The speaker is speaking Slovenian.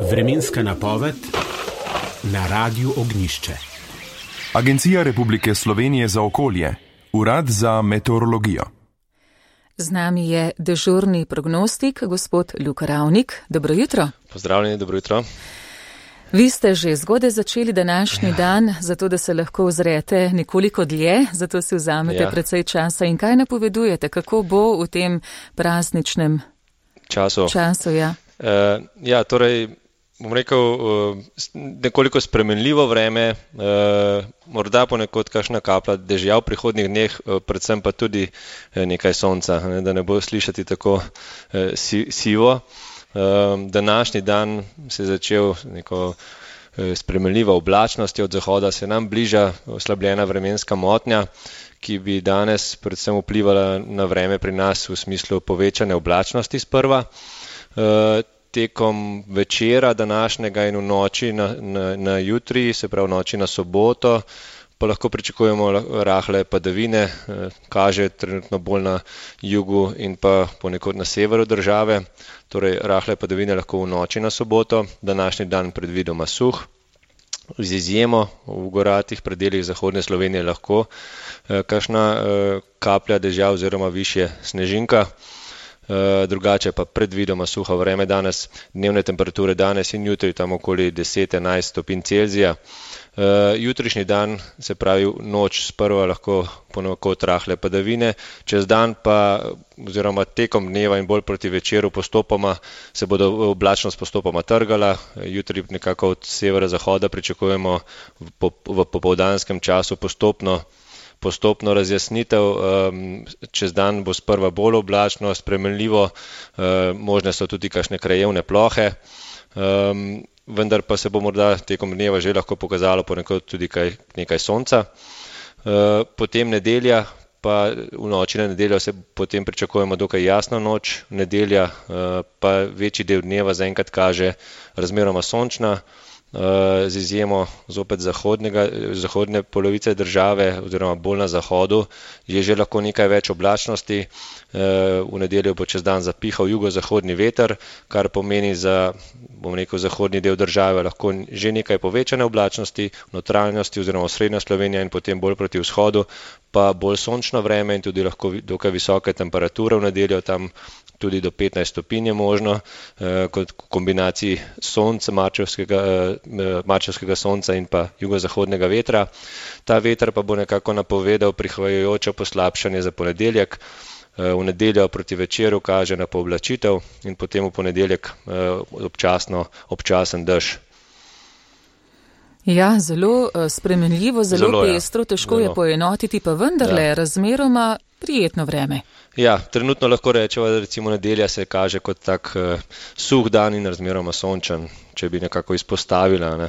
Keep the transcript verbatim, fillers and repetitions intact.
Vremenska napoved na Radiu Ognjišče. Agencija Republike Slovenije za okolje, Urad za meteorologijo. Z nami je dežurni prognostik, gospod Luka Ravnik. Dobro jutro. Pozdravljeni, dobro jutro. Vi ste že zgodaj začeli današnji ja. dan, zato da se lahko ozrete nekoliko dlje, zato si vzamete ja. precej časa. In kaj napovedujete, kako bo v tem prazničnem času? času ja. Uh, ja, torej, bom rekel, uh, nekoliko spremenljivo vreme, uh, morda ponekod kakšna kaplja dežja v prihodnjih dneh, uh, predvsem pa tudi uh, nekaj sonca, ne, da ne bo slišati tako uh, si, sivo. Uh, današnji dan se je začel neko uh, spremenljivo oblačnostjo, od zahoda se nam bliža oslabljena vremenska motnja, ki bi danes predvsem vplivala na vreme pri nas v smislu povečane oblačnosti sprva. Uh, tekom večera današnjega in v noči na, na, na jutri, se pravi v noči na soboto, pa lahko pričakujemo rahle padavine, uh, kaže trenutno bolj na jugu in pa ponekod na severu države, torej rahle padavine lahko v noči na soboto, današnji dan predvidoma suh, z izjemo v goratih predelih zahodne Slovenije lahko uh, kakšna uh, kaplja dežja oziroma višje snežinka. Uh, drugače pa predvidoma suho vreme danes, dnevne temperature danes in jutri tam okoli deset do enajst stopinj Celzija. Uh, jutrišnji dan, se pravi noč sprva lahko ponekod rahle padavine, čez dan pa oziroma tekom dneva in bolj proti večeru postopoma se bodo oblačnost postopoma trgala. Jutri nekako od severa zahoda pričakujemo v, po, v popoldanskem času postopno postopno razjasnitev, čez dan bo sprva bolj oblačno, spremenljivo, možne so tudi kakšne krajevne plohe, vendar pa se bo morda tekom dneva že lahko pokazalo ponekod tudi kaj, nekaj sonca. Potem nedelja, pa v noči na nedeljo se potem pričakujemo dokaj jasno noč, nedelja pa večji del dneva zaenkrat kaže razmeroma sončna, z izjemo zopet zahodnega, zahodne polovice države oziroma bolj na zahodu je že lahko nekaj več oblačnosti. V nedeljo bo čez dan zapihal jugozahodni veter, kar pomeni za, bom rekel, zahodni del države lahko že nekaj povečane oblačnosti, notranjosti oziroma srednja Slovenija in potem bolj proti vzhodu pa bolj sončno vreme in tudi lahko dokaj visoke temperature v nedeljo, tam tudi do petnajst stopinj je možno, eh, kot kombinaciji sonca, marčevskega, eh, marčevskega sonca in pa jugozahodnega vetra. Ta veter pa bo nekako napovedal prihajajoče poslabšanje za ponedeljek. Eh, v nedeljo proti večeru kaže na pooblačitev in potem v ponedeljek eh, občasno, občasen dež. Ja, zelo spremenljivo, zelo, zelo pestro, težko zelo. je poenotiti, pa vendarle ja. razmeroma prijetno vreme. Ja, trenutno lahko rečemo, da recimo nedelja se kaže kot tak uh, suh dan in razmeroma sončen, če bi nekako izpostavila. Ne.